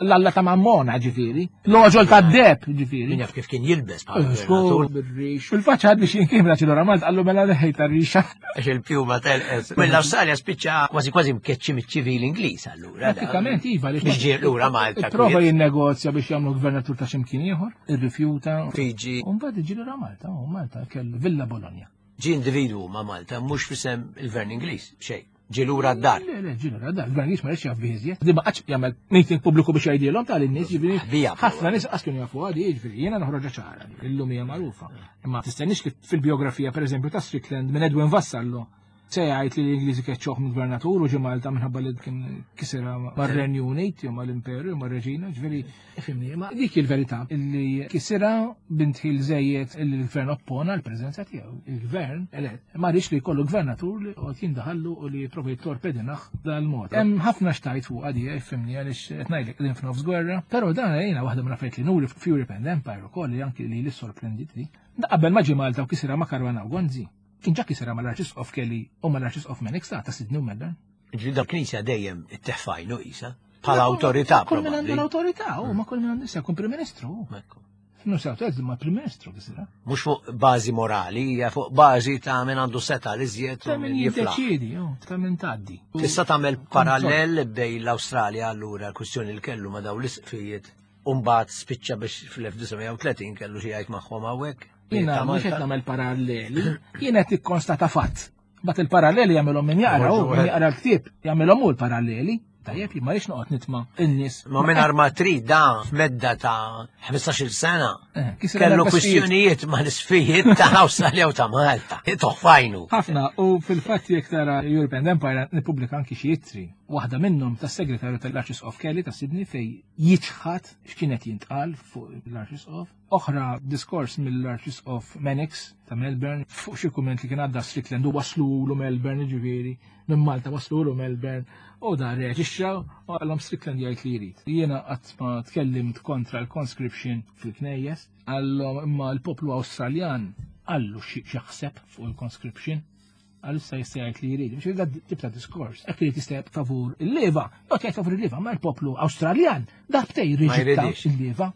l-alla ta' Mammona ġifieri, l-oġol ta' deb ġifieri. Min jaf kif kien jilbes bħala gvernatur. Bir-rix. Fil-faċċa għadni xi kien ċilora Malta qallu mela leħej tar-rixa. Għax il-pjuma telqes. Mill-Awstralja spiċċa kważi kważi mkeċċi miċ-ċivil Ingliż allura. Pratikament iva li biex ġie lura Malta. Prova jinnegozja biex jagħmlu gvernatur ta' x'imkien ieħor, irrifjuta. Fiji. U mbagħad iġi lura Malta, u Malta kellu Villa Bologna. Ġie individwu ma' Malta mhux f'isem il-Gvern Ingliż, xejn. Ġie lura d-dar. Le, le, ġie lura d-dar. Il-Gvern Ingliż ma rridx jaf biżjed. Di ma qatx jagħmel meeting pubbliku biex jgħidilhom tal-nies, ġifieri. Ħafna nies qas kienu jafu għadi, jiġifieri jiena noħroġha ċara, illum hija magħrufa. Imma tistenniex li fil-biografija pereżempju ta' Strickland minn Edwin Vassallo se jgħid li l-Ingliżi keċċoh minn gvernatur u ġie Malta minħabba li kien kisira mar-Renju Unit jew mal-Imperu jew mar-Reġina, ġifieri ifhimni, ma dik il-verità illi kisira bintħil żejjed illi l-gvern oppona l-preżenza tiegħu. Il-gvern elett ma rridx li jkollu gvernatur li qed jindaħallu u li jipprova jittorpedinah dal-mod. Hemm ħafna xtajt fuq għadija ifhimni għaliex qed ngħidlek qegħdin f'nofs gwerra, però dan jiena waħda minn affarijiet li nuri f'Europe and Empire ukoll li anki li li sorprenditni. Qabel ma ġie Malta u kisira ma' Caruana u Gonzi. Kien ġa kisira mal-Arċisqof Kelly u mal-Arċisqof Mannix ta' ta' Sydney u Melbourne. Ġifieri da knisja dejjem itteħfajnu isa bħala awtorità. Kull min għandu l-awtorità, u ma kull min għandu issa jkun Prim Ministru. New South Wales ma Prim Ministru kisira. Mhux fuq bażi morali, hija fuq bażi ta' min għandu seta' li żjed Ta' min jiddeċiedi, ta' min tgħaddi. Tista' tagħmel parallel bejn l-Awstralja allura l-kwistjoni li kellu ma' dawn l-isqfijiet u mbagħad spiċċa biex fl-elf disa' mija u tletin kellu xi jgħid magħhom hawnhekk. Jiena mhux qed nagħmel paralleli, jiena qed nikkonstata fatt. Bat il-paralleli jagħmilhom min jaqra, u min jaqra l-ktieb jagħmilhom hu l-paralleli. Tajjeb, jien ma rridx noqgħod nitma' n-nies. Ma mingħajr ma trid da f'medda ta' ħmistax-il sena Eh, kisir kellu l-erba' sfijiet. kwistjonijiet ma' l-isfijiet ta' Awstralja u ta' Malta. Toħfajnu. Ħafna, u fil-fatt jekk tara Europe and Empire nippubblika anki xi ittri. Waħda minnhom tas-segretarju tal-Arċisqof Kelly ta' Sydney fej jiċħad x'kienet jintqal fuq l-Arċisqof. Oħra diskors mill-Arċisqof Mannix ta' Melbourne fuq xi kumment li kien għadda Strickland u waslulu Melbourne, ġifieri, minn Malta waslulu Melbourne, u da reaġixxa u għallhom Strickland jgħid li jrid. Jiena qatt ma tkellimt kontra l-conscription fil-knejjes, għallhom imma l-poplu Awstraljan għallu xi jaħseb fuq il-conscription, għal issa jista' jgħid li jrid. Mhux da tip ta' diskors. Hekk irid jista' jgħid favur il-leva, jgħid jgħid favur il-leva, ma l-poplu Awstraljan darbtej Ma riġetta jridix. il-leva,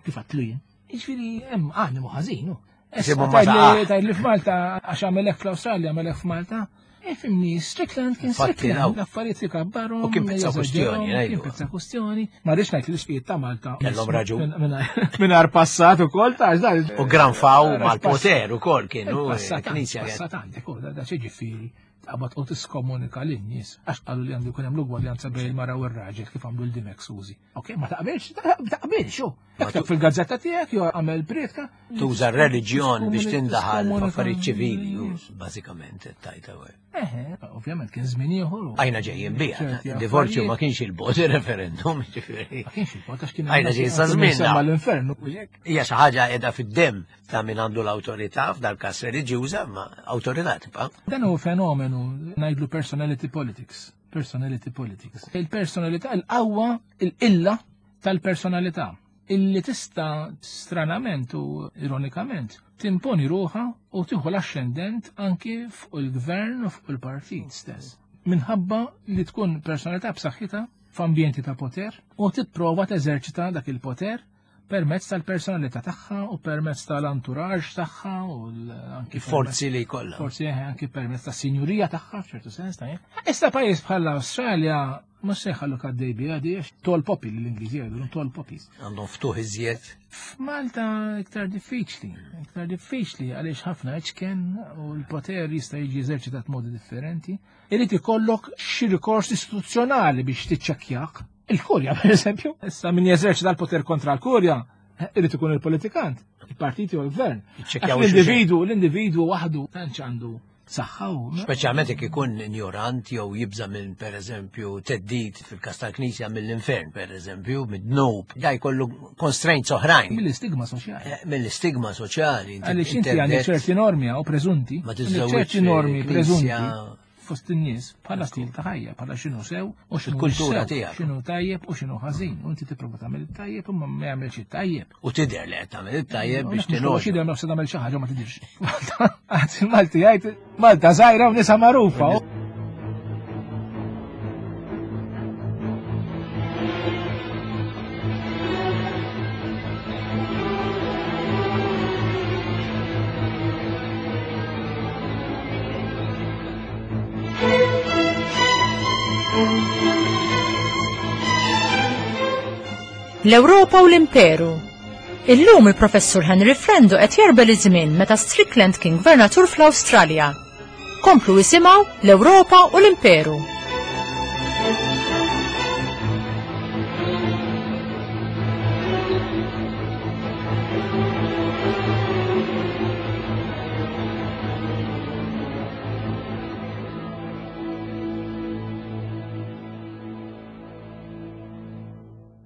kif għatlu jien. Jiġifieri hemm animu ħażin. hu. Isibu Issa, ma tgħid li- saqax. tgħid li f'Malta għax għamel hekk fl-Awstralja għamel hekk f'Malta. Ifhimni, Strickland kien Infatti, Strickland, daw. l-affarijiet li kabbarhom, U kien pezza jeżaġerahom, kwestjoni, ngħidu. Kien pezza kwestjoni. Ma rridx ngħid li l-isfijiet ta' Malta. Kellhom raġun. Mingħajr passat ukoll ta' da. U granfaw mal-poter ukoll kienu Il-passat knisja passat għandek, u da xi ġifieri taqbad u tiskomunika lin-nies għax qalu li għandu jkun hemm l-ugwaljanza bejn il-mara u r-raġel kif għamlu l-Dimech Sużi. Ok, ma taqbilx, taqbilx, u. Ikteb fil-gazzetta tiegħek jew għamel prietka. Tuża r-reliġjon biex tindaħal Tiskomunika f'affarijiet ċivili, lin-nies. bażikament tajta u. Eħe, ovvjament kien żmien ieħor. u- Għajna ġejjin bija, ċerti divorzju ma affarijiet. kienx il-bot il-referendum, ġifieri. Ma kienx il-bot għax kien Għajna ġejjin sa żmien Semma l-infernu. Hija xi ħaġa qiegħda fid-demm ta' min għandu l-awtorità f'dal każ reliġjuża, ma awtorità tibqa'. Dan hu fenomenu ngħidlu personality politics. Personality politics. Il-personalità, il-qawwa, il-illa tal-personalità illi tista' stranament u ironikament timponi ruħa u tieħu l-ascendent anki fuq il-gvern u fuq il-partit stess. Minħabba li tkun personalità b'saħħitha f'ambjenti ta' poter u tipprova teżerċita dak il-poter permezz tal-personalità tagħha u permezz tal-entourage tagħha u l- anki Il-forzi li jkollha. Forsi eh, anki permezz tas-sinjurija tagħha f'ċertu sens ta' Issa pajjiż bħal l-Awstralja mhux se jħallu għaddej biha di għax tall poppy li l-Ingliżi jgħidu tall poppies. Għandhom ftuħ iżjed. F'Malta iktar diffiċli, iktar diffiċli għaliex ħafna iċken u l-poter jista' jiġi eżerċitat modi differenti. Irid ikollok xi rikors istituzzjonali biex tiċċekkjak. Il-kurja, per eżempju, issa min jeżerċita l-poter kontra l-kurja, eh, irid ikun il-politikant, il-partiti u l-gvern. Jiċċekkjaw Għax L-individu, l-individu waħdu tantx għandu saħħa u Speċjalment jekk ikun ignorant jew jibża minn pereżempju theddid fil-każ tal-Knisja mill-infern pereżempju, mid-dnub, da jkollu constraints oħrajn. mill-istigma soċjali. Eh, Mill-istigma soċjali. inti- Għaliex inti għandek ċerti normi u preżunti, Ma għandek tiżżewwiġ ċerti normi fil-Knisja. preżunti fost in-nies bħala stil ta' ħajja, bħala x'inhu sew u x'inhu Il-kultura sew, tiegħek. x'inhu tajjeb u x'inhu ħażin. U inti tipprova tagħmel it-tajjeb imma ma jagħmelx it-tajjeb. U tidher li qed tagħmel it-tajjeb biex Mhux tinogħġob. jidher nofs tagħmel xi ħaġa ma tidirx. Għad il-Malti jgħid Malta żgħira u nisa magħrufa. L-Ewropa u l-Imperu. Illum il-Professur Henry Frendo qed jarbel iż-żmien meta Strickland kien gvernatur fl-Awstralja. Komplu isimgħu l-Ewropa u l-Imperu.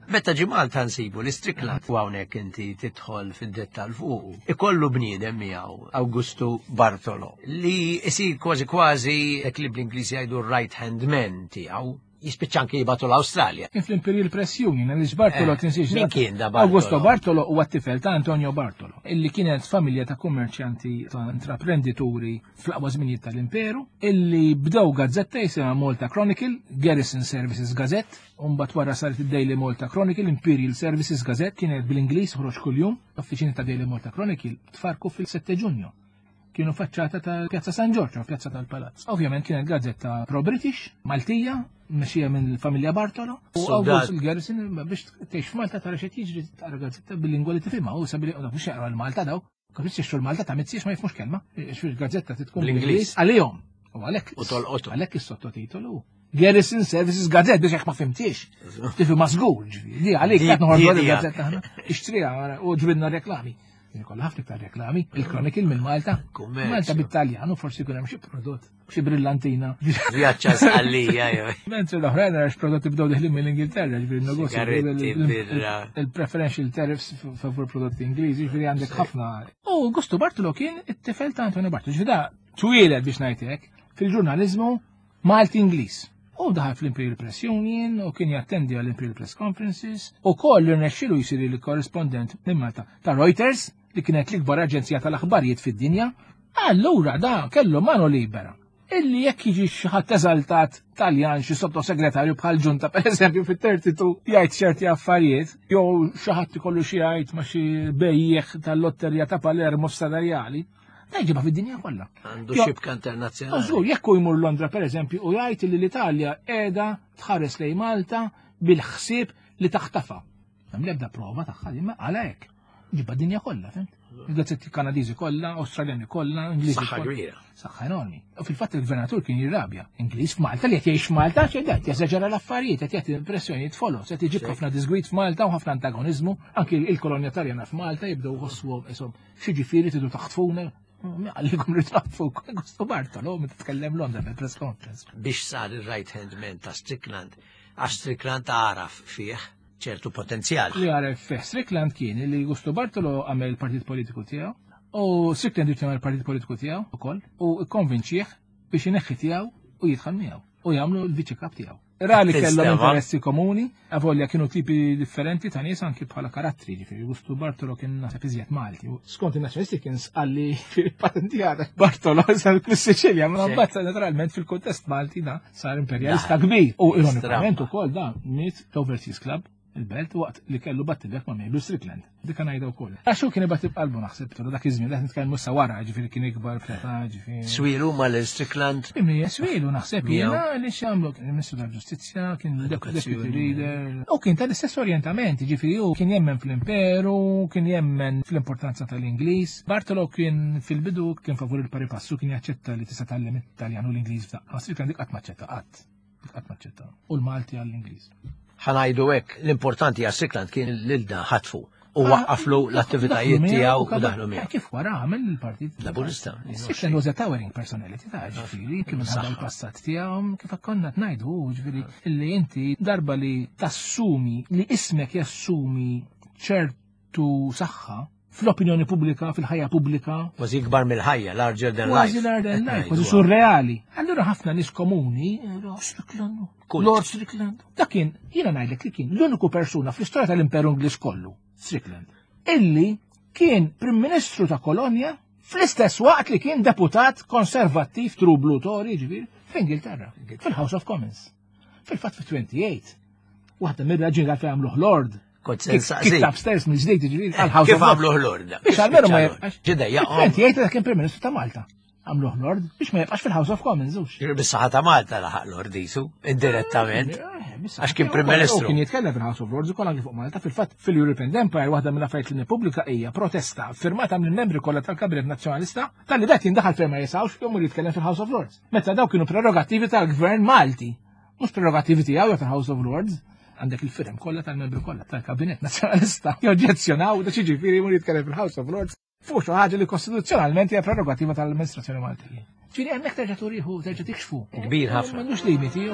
Meta ġie Malta nsibu li Strickland u hawnhekk inti tidħol fid-dettall fuqu. Ikollu bniedem miegħu Augusto Bartolo li isir kważi kważi dak li bl-Ingliż jgħidu right hand man tiegħu jispiċċa anke jibgħatu l-Awstralja. Kien fl-Imperial Press Union, għaliex Bartolo Eh, tinsiex. min kien da Bartolo? Augusto Bartolo huwa t-tifel ta' Antonio Bartolo, illi kienet familja ta' kummerċjanti ta' intraprendituri fl-aqwa żminijiet tal-Imperu, illi bdew gazzetta jisimha Malta Chronicle, Garrison Services Gazette, u mbagħad wara saret id-Daily Malta Chronicle, Imperial Services Gazette, kienet bl-Ingliż ħroġ kuljum, l-offiċini ta' Daily Malta Chronicle tfarku fil-sette Ġunju. Kienu faċċata ta' Pjazza San Giorgio, Pjazza tal-Palazz. Ovvjament kienet gazzetta pro-British, Maltija, mexxija minn familja Bartolo. U Soldat. August il-Garrison biex tgħix f'Malta tara x'qed jiġri tara gazzetta bil-lingwa li tifhimha u sabili u mhux jaqra l-Malta daw. Kif jixtru l-Malta ta' mizziex ma jifhmux kelma. Xi gazzetta titkun Bl-Ingliż. bl-Ingliż għalihom. U għalhekk U tolqotu. Għalhekk is-sottotitolu. Garrison Services Gazette biex jekk ma fimtix. Tifhimha żgur, ġifieri. Di għalik Di- qed noħorġu di- di- il-gazzetta aħna. Ixtriha u ġbidna reklami. Kollha ħafna iktar reklami, il-Chronicle minn Malta. Kummerċ. Malta bit-Taljan u forsi jkun hemm xi prodott, xi brillantina. Vjaċċa sqallija jew. Mentri l-oħrajn għax prodotti bdew deħlin mill-Ingilterra, ġifieri n-negozju. Sigaretti, birra. Il-preferential tariffs favur prodotti Ingliżi, ġifieri għandek ħafna. U Augusto Bartolo kien it-tifel ta' Antonio Bartolo, ġifieri da twieled biex ngħid hekk fil-ġurnaliżmu Malti-Ingliż. U daħal fl-Imperial Press Union u kien jattendi għall-Imperial Press Conferences u koll irnexxielu jsir il-korrispondent minn Malta ta' Reuters li kienet l-ikbar aġenzija tal-aħbarijiet fid-dinja. Allura da kellu mano libera. Illi jekk jiġi xi ħadd eżaltat Taljan xi sottosegretarju bħal ġunta pereżempju fit-thirty-two jgħid ċerti affarijiet, jew xi ħadd ikollu xi jgħid ma' xi bejjeħ tal-lotterija ta' Palermo f'Sadarjali, da jġibha fid-dinja kollha. Għandu Jo- xibka internazzjonali. Żgur, jekk hu jmur Londra pereżempju u jgħid li l-Italja qiegħda tħares lejn Malta bil-ħsieb li taħtafa. Hemm l-ebda prova tagħha imma għala hekk. Ġibha d-dinja kollha, fhimt? Il-gazzetti Kanadiżi kollha, Awstraljani kollha, Ingliżi Saħħa kollha. kbira. Saħħa enormi. U fil-fatt il-gvernatur kien jirrabja. Ingliż f'Malta li qed jgħix f'Malta xejn qed jeżaġera l-affarijiet, qed jagħti impressjonijiet foloz, qed iġib ħafna disgwid f'Malta u ħafna antagoniżmu, anki il-kolonja Taljana f'Malta jibdew jħossuhom ishom xi ġifieri tridu taħtfuna. Għallikom li taħtfu Augusto Bartolo meta tkellem Londra fil-press conference. Biex sar il-right hand man ta' Strickland, għax Strickland għaraf fih ċertu potenzjal. Li għaref fih Strickland kien li Augusto Bartolo għamel il-partit politiku tiegħu u Strickland irid jagħmel il-partit politiku tiegħu ukoll u kkonvinċih biex ineħħi tiegħu u jidħol miegħu u jagħmlu l-viċi kap tiegħu. Ra li kellhom Tinstema'. interessi komuni, avolja kienu tipi differenti ta' nies anki bħala karattri, ġifieri Augusto Bartolo kien naħseb iżjed Malti. U skont in-nazzjonalisti kien sqalli fil-patentjata. Bartolo sar fis-Siċilja, ma Sì. mbagħad naturalment fil-kuntest Malti da sar imperjalista Da. kbir. U ironikament Stramba. ukoll da miet l-Overseas Club il-belt waqt li kellu battibek ma' Mabel Strickland. Dik ngħidha wkoll. Għax hu kien ibati b'qalbu naħseb tura dak iż-żmien qed nitkellmu sa wara, ġifieri kien ikbar fl-età, ġifieri. Swilu ma' l-Strickland Imni swilu naħseb Miegħu. jiena li x'għamlu kien il-Ministru tal-Ġustizzja, kien Edukazzjoni. deputy leader. U kien tal-istess orientamenti, ġifieri hu kien jemmen fl-imperu, kien jemmen fl-importanza tal-Ingliż. Bartolo kien fil-bidu kien favur il-pari passu, kien jaċċetta li tista' tgħallem it-Taljan u l-Ingliż f'daqqa. Strickland dik qatt maċċetta qatt. Dik qatt maċċetta. U l-Malti għall-Ingliż. Ħanajdu hekk, l-importanti għal Strickland kien lil dan ħatfu u waqqaflu l-attivitajiet tiegħu u daħlu miegħu. Kif wara għamel il-partit Laburista. Strickland was a towering personality ta' ġifieri, kif minħabba l-passat tiegħu, kif konna ngħidu, ġifieri, illi inti darba li tassumi, li ismek jassumi ċertu saħħa fl-opinjoni pubblika, fil-ħajja pubblika, Kważi ikbar mill-ħajja, larger than kważi life. larger than life, kważi Ngħidu. surreali. Allura ħafna nies komuni, Lord Strickland, Kult. Lord Strickland. Dak kien, jiena ngħidlek li kien l-uniku persuna fl-istorja tal-Imperu Ingliż kollu, Strickland, illi kien Prim Ministru ta' Kolonja fl-istess waqt li kien deputat konservattiv true blue Tory, ġifieri, fl-Ingilterra, fil-House of Commons. Fil-fatt fi twenty-eight, waħda mir-raġuni għalfejn għamluh Lord. Kont se Kick- nsaqsik. Kicked upstairs mill-ġdid, ġifieri, għal-House Kif of Lords. għamluh Lord? Biex għalmenu ma jibqax. Ġidejja, twenty-eight dak kien Prim Ministru ta' Malta. Għamluh Lord biex ma jibqax fil-House of Commons, hux. Bis-saħħa ta' Malta laħaq Lord jisu, indirettament. Eh, Għax kien Prim Ministru. Kien jitkellem fil-House of Lords ukoll anki fuq Malta. Fil-fatt fil-European Empire waħda mill-affarijiet li nippubblika hija protesta firmata mill-membri kollha tal-Kabinet Nazzjonalista talli dak jindaħal fejn ma jisawx jmur jitkellem fil-House of Lords. Meta daw kienu prerogattivi tal-Gvern Malti, mhux prerogattivi tiegħu jew tal-House of Lords. Għandek il-firem kollha tal-membri kollha tal-Kabinet Nazzjonalista joġġezzjonaw da xiġifieri jmur jitkellem fil-House of Lords fuq xi ħaġa li kostituzzjonalment hija prerogattiva tal-amministrazzjoni Maltija. Ġifieri hemmhekk terġa' turiħu, terġa' tikxfu. Kbir ħafna. M'għandux limiti.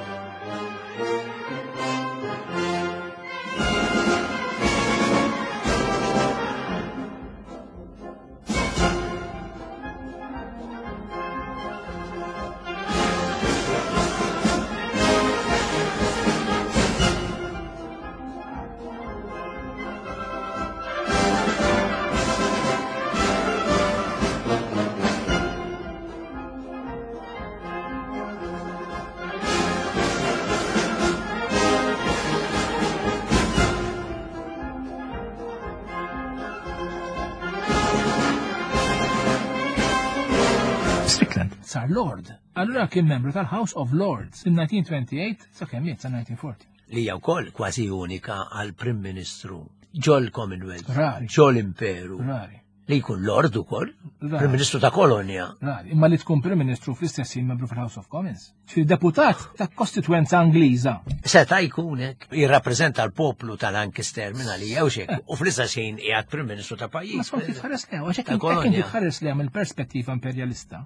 Sar Lord. Allura kien membru tal-House of Lords in nineteen twenty-eight sa kemm miet sa nineteen forty. Li hija wkoll kważi unika għal Prim Ministru ġol Commonwealth, Rari. ġol Imperu. Rari. Li jkun Lord ukoll, Rari. Prim Ministru ta' kolonja. Rari, imma li tkun Prim Ministru fl-istess ħin membru fil-House of Commons. Ġifieri deputat ta' kostituenza Ingliża. Seta' jkun hekk, jirrappreżenta l-poplu ta' Lancaster minn għalija u xek, u fl-istess ħin qiegħed Prim Ministru ta' pajjiż. Ma skont kif tħares leha, għax hekk Ta' hekk kolonja. inti tħares leha mill-perspettiva imperjalista.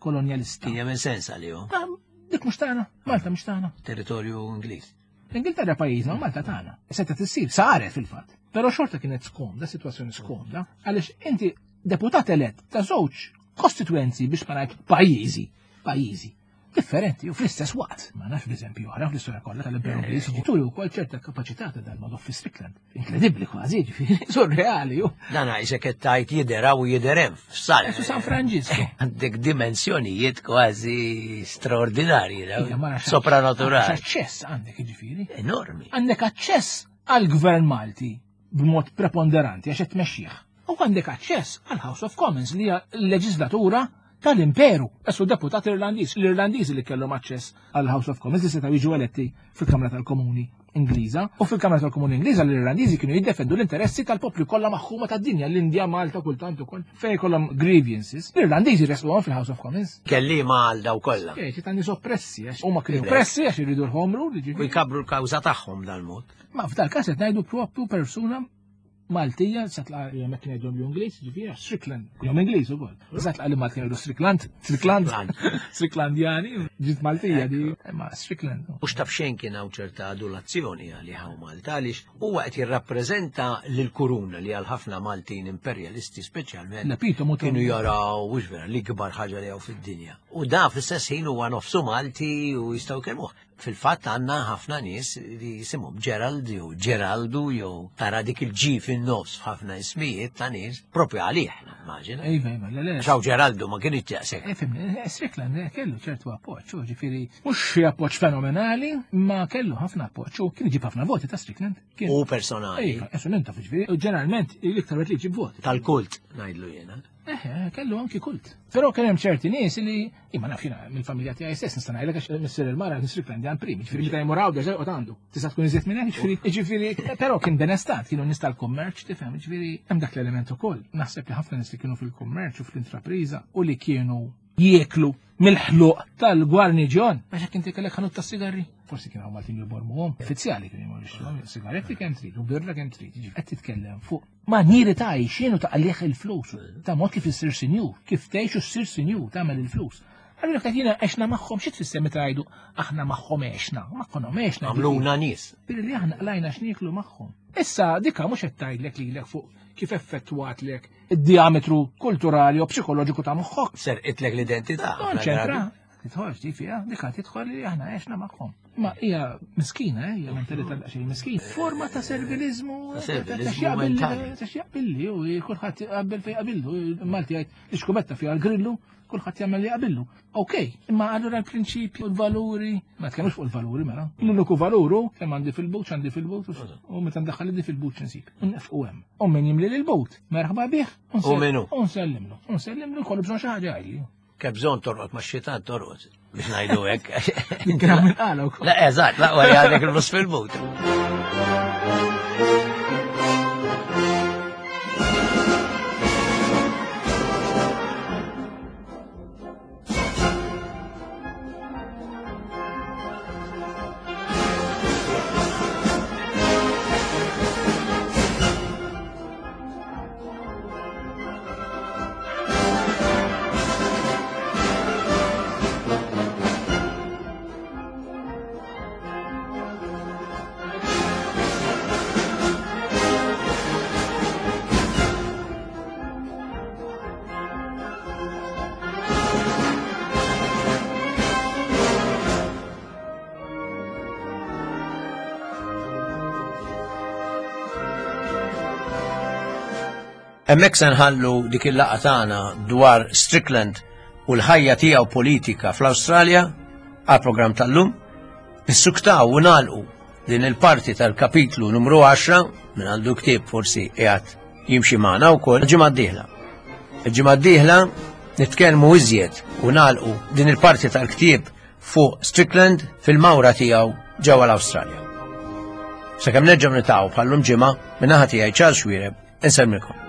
Kolonjalista. Kien jagħmel sens għalihom. Ta' dik mhux tagħna, Malta mhux tagħna. Territorju Ingliż. L-Ingilterra pajjiżna u Malta tagħna. Seta' tissir, saret fil-fatt. Però xorta kienet skomda, sitwazzjoni skomda, għaliex inti deputat elett ta' żewġ kostituenzi biex ma ngħid pajjiżi, pajjiżi differenti u fl-istess waqt. Ma nafx b'eżempju oħra fl-istorja kollha tal-Imperu Ingliż, turi wkoll ċerta kapaċità ta' dan Madoff fi Strickland. Inkredibbli kważi, ġifieri, surreali ju. Dan għajsek qed tgħid jidher hawn u jidher hemm f'Sal. Su San Franġisku. Għandek dimensjonijiet kważi straordinarji, Ija, ma nafx sopranaturali. Aċċess għandek, ġifieri. Enormi. Għandek aċċess għall-Gvern Malti b'mod preponderanti għax qed tmexxih. U għandek aċċess għall-House of Commons li hija l-leġislatura tal-Imperu. Essu deputat Irlandiż, l-Irlandiżi li kellhom aċċess għall-House of Commons li setgħu jiġu eletti fil-Kamra tal-Komuni Ingliża. U fil-Kamra tal-Komuni Ingliża l-Irlandiżi kienu jiddefendu l-interessi tal-popli kollha maħkuma tad-dinja, l-Indja, Malta, kultant ukoll, fejn kollhom grievances. L-Irlandiżi resquhom fil-House of Commons. Kelliema għal daw kollha. Eh, ċi tan nies oppressi, għax huma kienu oppressi għax iridu l-home rule, jiġifieri. U jkabru l-kawża tagħhom dal-mod. Ma f'dal każ qed ngħidu propju persuna Maltija, satla jemmek kien jgħidhom l-Ingliż, ġifieri Strickland, jom Ingliż ukoll. Satla li Malti jgħidu Strickland, Strickland, Stricklandjani, ġiet Maltija di, ma Strickland. Mhux taf xejn kien hawn ċerta adulazzjoni għalih hawn Malta għaliex huwa qed jirrappreżenta lill-kuruna li għal ħafna Maltin imperjalisti speċjalment L-epitomu ta' kienu jaraw mhux vera l-ikbar ħaġa li hawn fid-dinja. U da fl-istess ħin huwa nofsu Malti u jistgħu jkellmuh. Fil-fatt għandna ħafna nies li jisimhom Gerald jew Geraldu jew tara dik il-G fin-nofs f'ħafna ismijiet ta' nies propju għalih, immaġina. Iva, iva, le, le. Xaw Geraldu ma kienx daqshekk. Eh, fimni, eh, Strickland, eh, kellu ċertu appoġġ, u ġifieri mhux xi appoġġ fenomenali, ma kellu ħafna appoġġ u kien iġib ħafna voti ta' Strickland. Kien U personali. Iva, essu minn taf, ġifieri, u ġeneralment l-iktar wieħed li jġib voti. Tal-kult, ngħidlu jiena. Eh, kellu anki kult. Però kien hemm ċerti nies li, imma naf jiena mill-familja tiegħi stess nista' ngħidlek għax missier il-mara kien Strickland jan prim, ġifieri meta jmur hawn deġa joqgħod għandu. Tista' tkun iżjed minn hekk, ġifieri, ġifieri, però kien benestant, kienu nies tal-kummerċ, tifhem, ġifieri hemm dak l-element ukoll. Naħseb li ħafna nies li kienu fil-kummerċ u fl-intrapriża u li kienu jieklu mill-ħluq tal-gwarniġjon. Għax hekk inti kellek ħanut tas-sigarri. Forsi kienu hawn Maltin jibormuhom, uffiċjali kienu jmorru jixtruhom, sigaretti kemm trid u birra kemm trid. Jiġifieri qed titkellem fuq manjieri ta' għajxien u ta' għalih il-flus, ta' mod kif issir sinjur, kif tgħix u ssir sinjur, tagħmel il-flus. Allura qed jiena għexna magħhom, xi tfisser meta jgħidu aħna magħhom għexna, magħhom għexna. Għamluna nies. Billi li aħna qlajna x'nieklu magħhom. Issa dika mhux qed tgħidlek lilek fuq kif effettwatlek id-diametru kulturali u psikoloġiku ta' moħħok. Serqitlek l-identità. Konċentra. Tidħolx di fiha, dika tidħol li aħna għexna magħhom. Ma hija miskina, eh, hija mentalità daqsxejn miskina. Forma ta' servilizmu, Ta' servilizmu mentali. ta' x'jaqbilli, u kulħadd jaqbel fejn jaqbillu. Malti jgħid l-iskubetta fiha l-grillu, kulħadd jagħmel li jaqbillu. Okej, imma allura l-prinċipji u l-valuri, ma tkellmux fuq il-valuri mela. L-uniku valuru kemm għandi fil-but, għandi fil-but, u meta ndaħħal idi fil-but nsib. U nefqu hemm. U min jimli l-but, merħba bih. U min hu? U nsellimlu. U nsellimlu jkollu bżonn xi ħaġa għajli. Kemm bżonn torqod ma' xitan torqod. biex ngħidu hekk. Kien hawn il-qala wkoll. La, eżatt, l-aqwa li għandek il-flus fil-but. Hemmhekk se nħallu dik il-laqgħa tagħna dwar Strickland u l-ħajja tiegħu politika fl-Awstralja għal programm tal-lum. Nissuktaw u nagħlqu din il-parti tal-kapitlu numru għaxra minn għandu ktieb forsi qiegħed jimxi magħna wkoll il-ġimgħa d-dieħla. Il-ġimgħa d-dieħla nitkellmu iżjed u nagħlqu din il-parti tal-ktieb fuq Strickland fil-mawra tiegħu ġewwa l-Awstralja. Sakemm nerġgħu nitaqgħu bħallum ġimgħa, min-naħa tiegħi Charles Xuereb, insellmilkom.